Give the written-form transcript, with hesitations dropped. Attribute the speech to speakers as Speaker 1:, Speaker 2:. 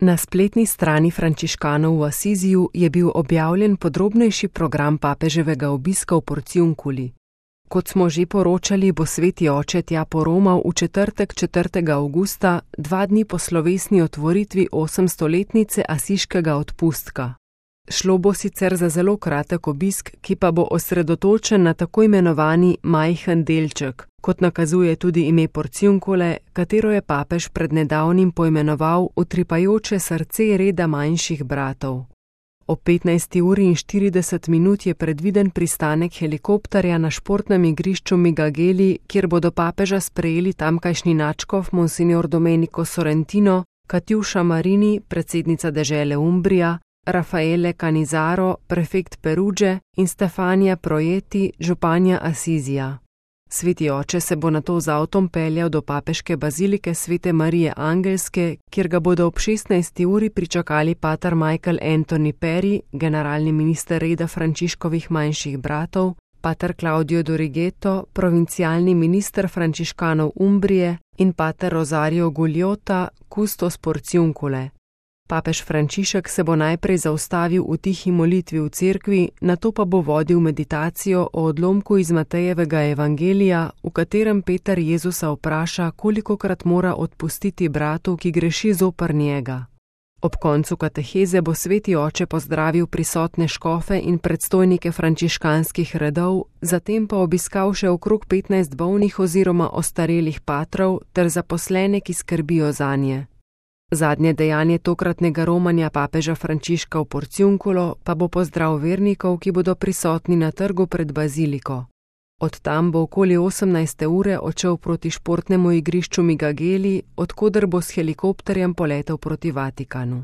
Speaker 1: Na spletni strani frančiškanov v Asiziju je bil objavljen podrobnejši program papeževega obiska v Porciunculi. Kot smo že poročali, bo sveti oče tja poromal v četrtek 4. avgusta, 2 dni po slovesni otvoritvi 800-letnice asiškega odpustka. Šlo bo sicer za zelo kratek obisk, ki pa bo osredotočen na tako imenovani majhen delček, kot nakazuje tudi ime Porciuncule, katero je papež pred nedavnim poimenoval utripajoče srce reda manjših bratov. Ob 15:40 je predviden pristanek helikopterja na športnem igrišču Migageli, kjer bodo papeža sprejeli tamkajšnji nadškof Monsignor Domenico Sorrentino, Katjuša Marini, predsednica dežele Umbrija, Raffaele Canizaro, prefekt Peruge in Stefania Projeti, županja Asizija. Sveti oče se bo nato z avtom peljal do papeške bazilike Svete Marije Angelske, kjer ga bodo ob 16. uri pričakali pater Michael Anthony Perry, generalni minister reda Frančiškovih manjših bratov, pater Claudio Dorigetto, provincialni minister frančiškanov Umbrije in pater Rosario Gugliota, kustos Porciuncule. Papež Frančišek se bo najprej zaustavil v tihi molitvi v cerkvi, nato pa bo vodil meditacijo o odlomku iz Matejevega evangelija, v katerem Peter Jezusa vpraša, kolikokrat mora odpustiti bratu, ki greši zoper njega. Ob koncu kateheze bo sveti oče pozdravil prisotne škofe in predstojnike frančiškanskih redov, zatem pa obiskal še okrog 15 bolnih oziroma ostarelih patrov ter zaposlene, ki skrbijo zanje. Zadnje dejanje tokratnega romanja papeža Frančiška v Porciunculo pa bo pozdrav vernikov, ki bodo prisotni na trgu pred baziliko. Od tam bo okoli 18. ure odšel proti športnemu igrišču Migageli, od koder bo s helikopterjem poletel proti Vatikanu.